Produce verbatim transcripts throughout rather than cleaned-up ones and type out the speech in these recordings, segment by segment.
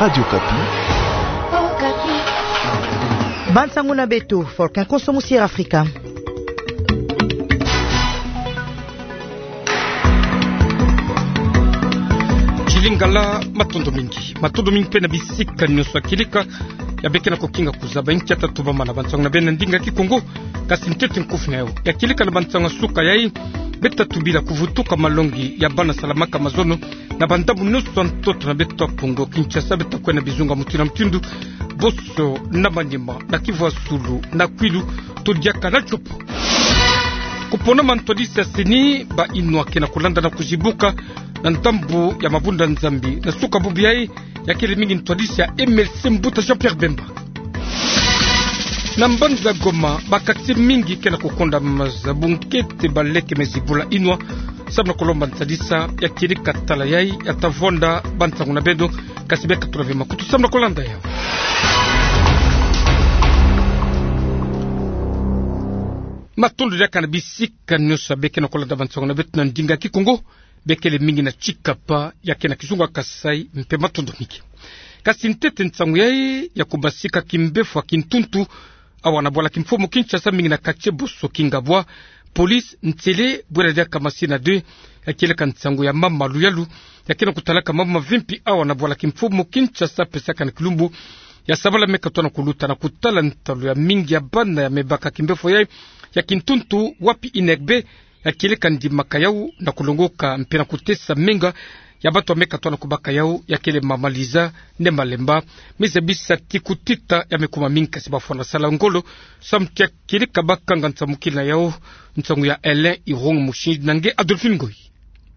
Radio Okapi. Bansango na beto, Faustin Konso, Musiera Afrika. Ti Lingala, matondo mingi. Matondo mingi mpe na bisika nyonso ya kieleka ya beke na kokinga kuzaba inkia tatu bamana bansango na beno na ndinga Kikongo. Kasi ntete nkufi na yau ya kieleka na bansango ya suka yai, beto tubila kuvutuka malongi ya bana salamaka mazono na bandambu nyonso ya ntoto na beto ya Kongo Kinshasa, beto kwenda bizunga mutindu na mutindu, Boso na Maniema, na Kivu ya Sulu, na Kwilu, to diaka na Tshopo. Kupona mantwadisi ya CENI, bayinwa ke na kulanda na kuzibuka na ndambu ya Mabunda Nzambi na suka bubu yai, ya kele mingi ntwadisi ya MLC mbuta Jean-Pierre Bemba. Na mbanza Goma, ba quartier mingi ke na kukonda maza bunkete baleke me zibula yinwa, samu na kulomba nsadisa ya kieleka tala yai ya ta vwanda bansango na beno, kasi beka tula ve makutu samu na kulanda yau. Matondo diaka na bisika nyonso ya beke na kulanda bansango na beto na ndinga Kikongo, bekele mingi na Tshikapa, ya ke na kizunga Kasaï, mpe matondo mingi. Kasi ntete nsango yai ya kubasika kimbevo ya kintuntu awa na bwala kimfumu Kinshasa, mingi na quartier Boso Kingabwa, police ntele bwela diaka Masina deux, ya kieleka nsango ya mama luyalu ya ke na kutalaka mambu mavimpi awa na bwala kimfumu Kinshasa, pesaka na kilumbu ya sabala me katoa na kuluta, na kutala ntalu ya mingi ya bana ya me baka kimbevo yai ya kintuntu, wapi Inegbe ya kieleka ndimaka yau na kulongoka mpe na kutesa menga ya bato ya me katoa na kubaka yau, ya kele mama Liza Ne Malemba. Me zabisa ti kutita ya me kuma mingi, kasi bafwana sala ngolo samu ti ya kieleka bakanga nsamukila yau. Nsango ya Alain Irung Mushindi na nge Adolphine Ngoyi.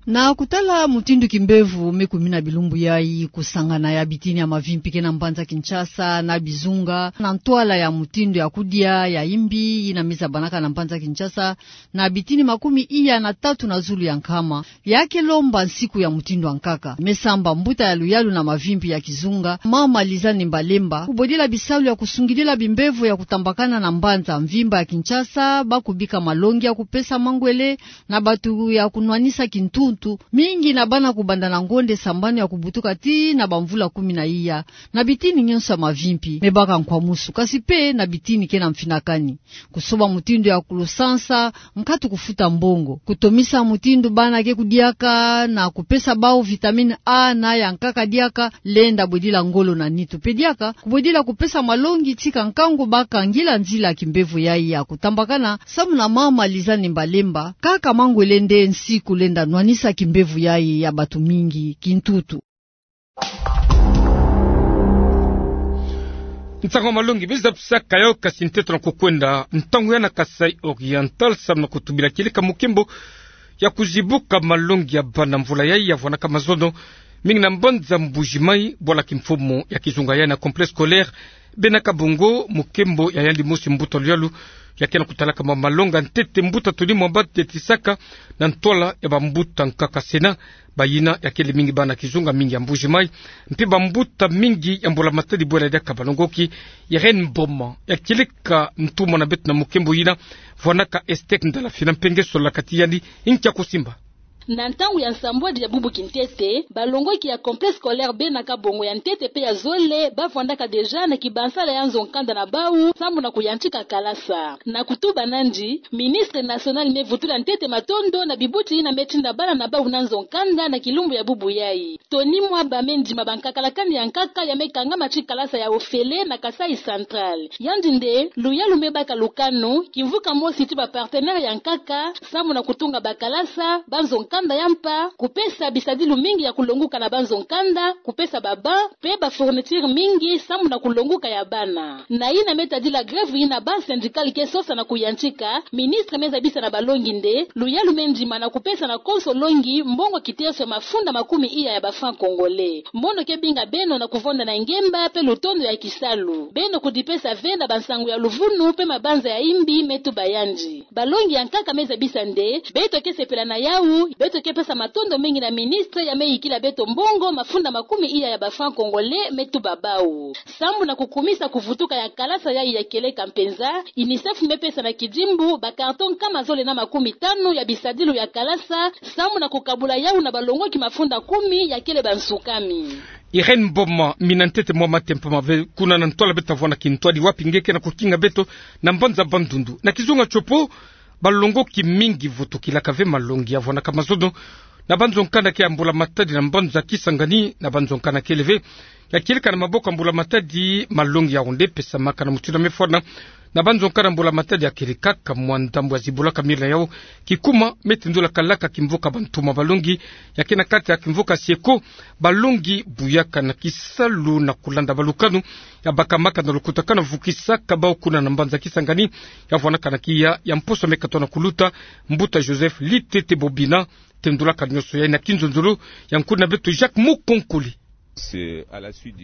Na kutala mutindu kimbevo me kumina bilumbu yai, kusangana ya bitini ya mavimpi ke na mbanza Kinshasa na bizunga, na ntwala ya mutindu ya kudia ya imbi yina me zabanaka na mbanza Kinshasa, na bitini makumi iya na tatu na zulu ya nkama, ya ke lomba nsiku ya mutindu ya nkaka. Me samba mbuta ya luyalu na mavimpi ya kizunga, mama Liza Ne Malemba, kubodila bisalu ya kusungidila bimbevo ya kutambakana na mbanza mvimba ya Kinshasa, ba kubika malongi ya kupesa mangwele na bato ya kunwanisa kintuntu, mingi na bana kubanda na ngonde sambanu ya kubutuka tii na bamvula kumi na iya, na bitini nyonso ya mavimpi me baka nkwamusu, kasi mpe na bitini ke na mfinakani. Kusoba mutindu ya kulusansa, nkatu kufuta mbongo. Kutomisa mutindu bana ke kudiaka, na kupesa bau vitamine A na ya nkaka diaka, lenda bwedila ngolo na nitu. Mpe diaka, kubwedila kupesa malongi tika nkangu bakangila nzila kimbevo yai ya kutambakana, samu na mama Liza Ne Malemba, kaka mangwele nde nsiku lenda nwanisa kimbevo yai ya bato mingi kintuntu. Nsango malongi me zabisaka yau, kasi ntete na kukwenda ntangu ya na Kasaï Oriental, samu na kutubila kieleka mukimbo ya kuzibuka malongi ya bana mvula yai ya vwanaka mazono, mingi na mbanza Mbuji-Mayi, bwala kimfumu ya kizunga yai na complexe scolaire Bena Kabongo, mukimbo ya yandi mosi mbuta luyalu ya ke na kutalaka ma malongi ya ntete, mbuta Tony Mwamba, tetisaka na ntwala ya bambuta nkaka Sena, bayina ya kele mingi bana kizunga mingi ya Mbuji-Mayi, mpe bambuta mingi ya mbula-matadi bwela diaka balongoki. Irène Mboma ya kieleka ntumwa na beto na mukimbo yina, vwanaka Estec Ndala Fina mpe nge sololaka ti yandi nkia kusimba. Na ntangu ya nsambwadi ya bubu kintete, balongoki ya complexe scolaire Bena Kabongo ya ntete mpe ya zole, ba vwandaka déjà na kibansala ya nzo-nkanda na bau, samu na kuyantika kalasa. Na kutuba nandi, ministre national me vutula ntete matondo na bibuti yina me tinda bana na bau na nzo-nkanda na kilumbu ya bubu yai. Tony Mwamba me ndima bankakalakani ya nkaka ya me kangama ti kalasa ya ofele na Kasaï Central. Yandi nde luyalu me baka lukanu, kimvuka mosi ti ba partenaires ya nkaka, samu na kutunga bakalasa, banzo-nkanda ya mpa, kupesa bisadilu mingi ya kulonguka na banzo-nkanda, kupesa ba bancs, mpe ba fournitures mingi, samu na kulonguka ya bana. Na yina me tadila grève yina banc syndical ke sosa na kuyantika, ministre me zabisa na balongi nde luyalu me ndima na kupesa na konso longi mbongo kiteso ya mafunda makumi iya ya ba francs congolais. Mono ke binga beno na kuvonda na ngemba mpe lutondo ya kisalu. Beno kudipesa ve na bansangu ya luvunu mpe mabanza ya imbi, me tuba yandi. Balongi ya nkaka me zabisa nde beto ke sepela na yau, beto ke pesa matondo mingi na ministre ya me yikila beto mbongo mafunda makumi iya ya ba francs congolais, me tuba bau. Samu na kukumisa kuvutuka ya kalasa yai ya kieleka mpenza, UNICEF me pesa na kidimbu ba carton nkama zole na makumi tanu ya bisadilu ya kalasa, samu na kukabula yau na balongoki mafunda kumi ya kele bansukami. Irène Mboma, mina ntete mwa matempoma ve kuna na ntwala beto tavwanda kintwadi wapi nge ke na kukinga beto na mbanza Bandundu. Na kizunga tiopo, balongoki mingi vutukilaka ve malongi ya vwanaka mazono na banzo nkanda ke ya mbula matadi na mbanza Kisangani, na banzo nkanda kele ve ya kieleka na maboko ya mbula matadi malongi ya onde pesamaka na mutindu ya mefwana na banzo nkanda mbula matadi ya kieleka. Ka mwa ndambu ya zibulaka mila yau, kikuma me tendulaka laka kimvuka bantoma balongi ya ke na kati ya kimvuka Sieko, balongi buyaka na kisalu na kulanda balukanu ya bakamaka na lukutakanu vukisaka bau kuna na mbanza Kisangani ya vwanaka na kiya ya mposo meka tona kuluta. Mbuta Joseph Litete Bobina tendulaka nionso yai na kinzonzolo ya nkuna beto Jacques Mukonkole.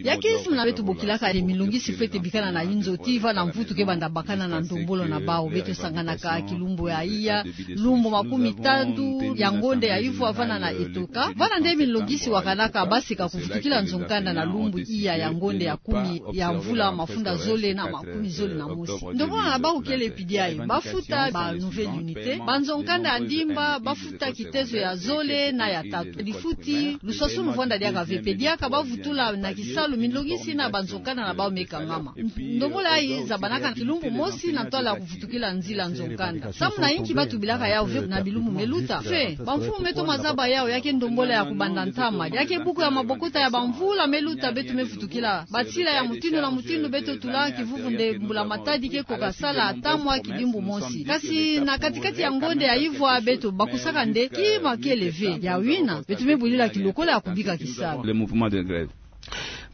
Ya ke nsi muna beto bokilaka nde milongisi fwete bikana na inzo ti va na mvutu ke banda bakana na ndombolo na bau. Beto sanganaka kilumbu ya iya, lumbu makumi tatu ya ngonde ya ivwa vana na Etoka. Vana nde milongisi wakanaka basika kuvutukila nzo nkanda na lumbu iya ya ngonde ya kumi ya mvula mafunda zole na makumi zole na mosi. Ndombolo na bau kele pidi aye, bafuta ba nouvelle unité, banzo nkanda ya ndimba bafuta kitezo ya zole na ya tatu. Difuti luswaswanu vwanda diaka ve mpe diaka bavutula na kisalu milongisi na banzo nkanda na bau me kangama. Ndombolo yayi zabanaka kilumbu mosi na ntwala ya kuvutukila nzila nzo nkanda. Samu na inki batubilaka yau ve na bilumbu meluta? Fe, bamfumu me toma zaba yau ya ke ndombolo ya kubanda ntama, ya ke buku ya mabokota ya bamvula meluta beto mevutukila. Batila ya mutindu na mutindu beto tula kivuvu nde mbula matadi ke koka sala ata mwa kidimbu mosi. Kasi na katikati ya ngonde ya ivwa beto bakusaka nde kima kele ve. Ya wina, beto mebwilila kilokola ya kubika kisalu.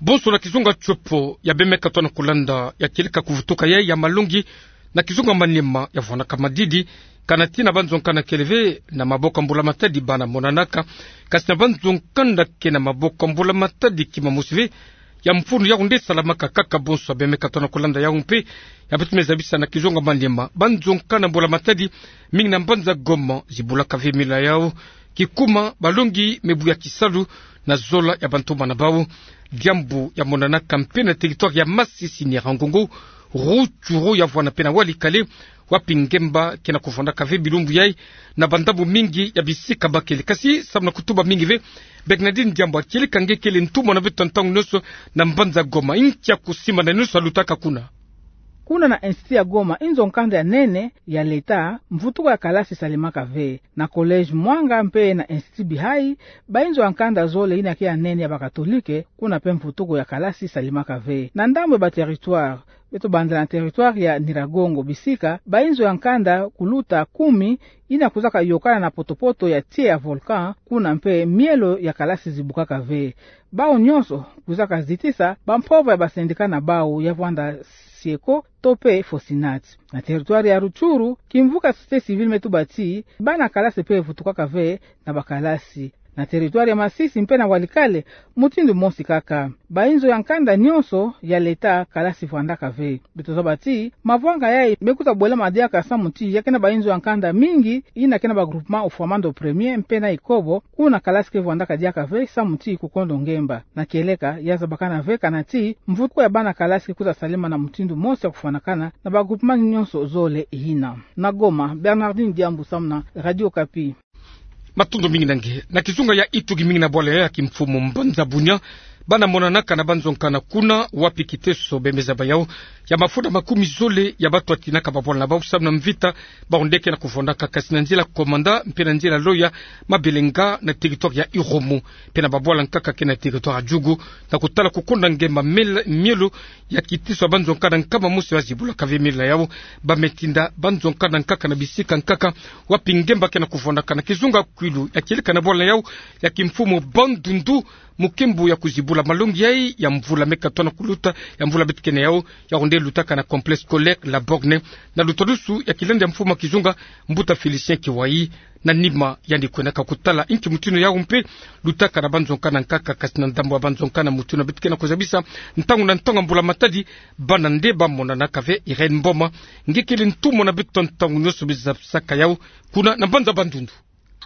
Bonso na kizunga tiopo ya bemeka tona kulanda ya kieleka kuvutuka yai ya malongi na kizunga Maniema ya vwanaka madidi, kana ti na banzo nkanda kele ve na maboko ya mbula matadi bana monanaka, kasi na banzo nkanda ke na maboko ya mbula matadi kima mosi ve ya mfunu yau nde salamaka kaka. Bonso ya bemeka tona kulanda yau mpe ya beto mezabisa na kizunga Maniema, banzo nkanda mbula matadi mingi na mbanza Goma zibulaka ve mila yau, kikuma balongi mebuya kisalu na zola ya bantoma na bau. Diambu ya monanaka mpe na territoire ya Masisi, Nyiragongo, Rutshuru ya vwana mpe na Walikale, wapi ngemba ke na kuvwandaka ve bilumbu yai na bandambu mingi ya bisika bakele. Kasi samu na kutuba mingi ve, Bernardine Diambu, kieleka nge kele ntumwa na beto ntangu nionso na mbanza Goma, inki ya kusimbana nionso yalutaka kuna? Kuna na Institut ya Goma, inzo nkanda ya nene ya leta, mvutuko ya kalasi salemaka ve. Na Collège Mwanga mpe na Institut Bihai, bainzo ya nkanda zole ina ke ya nene ya bakatolike, kuna mpe mvutuko ya kalasi salemaka ve. Na ndambu ya baterritoire, beto bandela na territoire ya Nyiragongo bisika bainzo ya nkanda kuluta kumi ina kuzaka yokana na potopoto ya tie ya volcan, kuna mpe mielo ya kalasi zibukaka ve. Bau nionso kuzaka zitisa bampova ya basendika na bau ya vwanda Sieko to mpe Fosinat. Na territoire ya Rutshuru, kimvuka société civile me tuba ti bana kalasi mpe vutukaka ve na bakalasi. Na territoire ya Masisi mpe na Walikale, mutindu mosi kaka. Bainzo ya nkanda nionso ya leta kalasi vwandaka ve. Beto zaba ti mavwanga yai me kuta bwelama diaka samu ti ya ke na bainzo ya nkanda mingi ina ke na bagroupement Ufwamando premier mpe na Ikobo, kuna kalasi ke vwandaka diaka ve samu ti kukondo ngemba. Na kieleka, ya zabakana ve kana ti mvutuko ya bana kalasi ke kuta salema na mutindu mosi ya kufwanakana na bagroupement nionso zole ina. Na Goma, Bernardine Diambu samu na Radio Okapi. Matondo mingi na nge. Na kizunga ya Ituri, mingi na bwala ya kimfumu mbanza Bunia, bana monanaka na banzo nkanda kuna, wapi kiteso bemeza ba yau ya mafunda makumi zole ya bato batinaka babwala na bau samu na mvita, bau nde ke na kuvwandaka, kasi na nzila Komanda mpe na nzila Loya, Mabelenga na territoire ya Irumu, mpe na babwala nkaka ke na territoire ya Djugu, na kutala kukonda ngemba mel-, mielo ya kiteso ya banzo nkanda nkama mosi bazibulaka ve mila yau. Ba me tinda banzo nkanda nkaka na bisika nkaka wapi ngemba ke na kuvwandaka. Na kizunga Kwilu, ya kieleka na bwala yau ya kimfumu Bandundu, mukembo ya kuzibula malongi yai ya mvula meka tona kuluta, ya mvula beto ke na yau, yau nde lutaka na complexe scolaire La Borne, na lutadusu ya kilandi ya mfumu ya kizunga, mbuta Félicien Kiwai. Na nima yandi kwendaka kutala inki mutindu yau mpe lutaka na banzo nkanda nkaka, kasi na ndambu ya banzo nkanda mutindu beto ke na kuzabisa ntangu na ntangu ya mbula matadi, bana nde bamonanaka ve. Irène Mboma, nge kele ntumwa na beto ntangu nionso, me zabisaka yau kuna na mbanza Bandundu.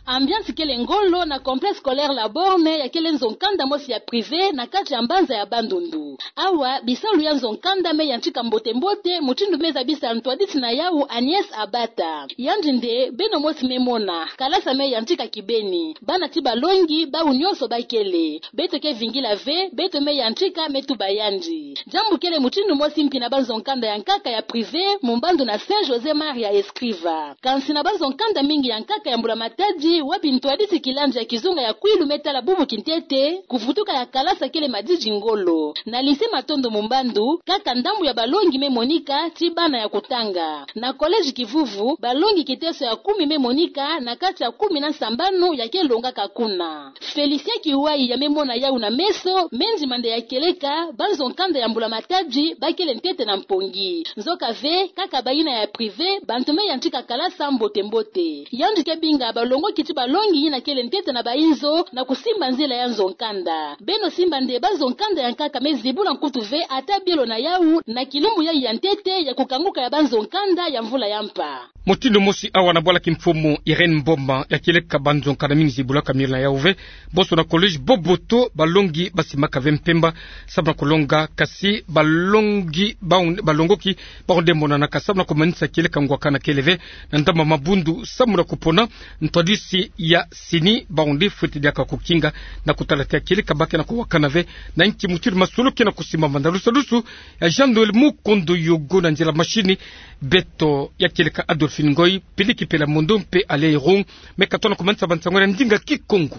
Ambiance kele ngolo na complexe scolaire La Borne, ya kele nzo nkanda mosi ya privé na kati ya mbanza ya Bandundu. Awa, bisalu ya nzo-nkanda me yantika mbote-mbote, mutindu me zabisa ntwadisi na yawu Agnès Abata. Yandi nde, beno mosi me mona, kalasa me yantika kibeni. Bana ti balongi, bawu nyonso bakele. Beto ke vingila ve, beto me yantika me tuba yandi. Diambu kele mutindu mosi mpi na banzo-nkanda ya nkaka ya privé, mu mbandu na Saint José Maria Escrivá. Kansi na banzo-nkanda mingi ya nkaka ya Mbula Matadi, wapi ntwadisi kilandi ya kizunga ya kwilu me tala bubu kintete, kuvutuka ya kalasa kele madidi ngolo. Na lycée Matondo mu mbandu, kaka ndambu ya balongi me monika, ti bana ya kutanga. Na collège Kivuvu, balongi kiteso ya kumi me monika, na kati ya kumi na sambanu ya ke longaka kuna. Félicien Kiwai ya me mona yawu na meso, me ndima nde ya kieleka, banzo-nkanda ya Mbula Matadi, bakele ntete na mpongi. Nzoka ve, kaka bayina ya privé, bantu me yantika kalasa mbote-mbote. Yandi ke binga balongoki ti balongi yina kele ntete na bayinzo, na kusimba nzila ya nzo-nkanda. Beno simba nde banzo-nkanda ya nkaka me zibula nkutu ve ata bielo na yawu, na kilumbu yayi ya ntete ya kukanguka ya banzo-nkanda ya mvula ya mpa. Mutindu mosi awa na bwala kimfumu Irène Mboma ya kieleka banzo-nkanda mingi zibulaka mielo na yawu ve, bonso na collège Boboto balongi basimaka ve mpemba, samu na kulonga, kasi balongi bawu-, balongoki bawu nde monanaka samu na kumanisa kieleka ngwakana kele ve, na ndamba mabundu samu na kupona ntwadisi ya sini, bawu nde fweti diaka kukinga na kutala te ya kieleka ba ke na kuwakana ve, na inki mutindu masolo ke na kusimbama. Na lusadusu ya Jean Noël Mukondo Yogo, na nzila mashini, beto ya kieleka Adolphine Ngoy, Peliki Pela Mondo mpe Alain Irung, me katona kumanisa bansango na ndinga Kikongo.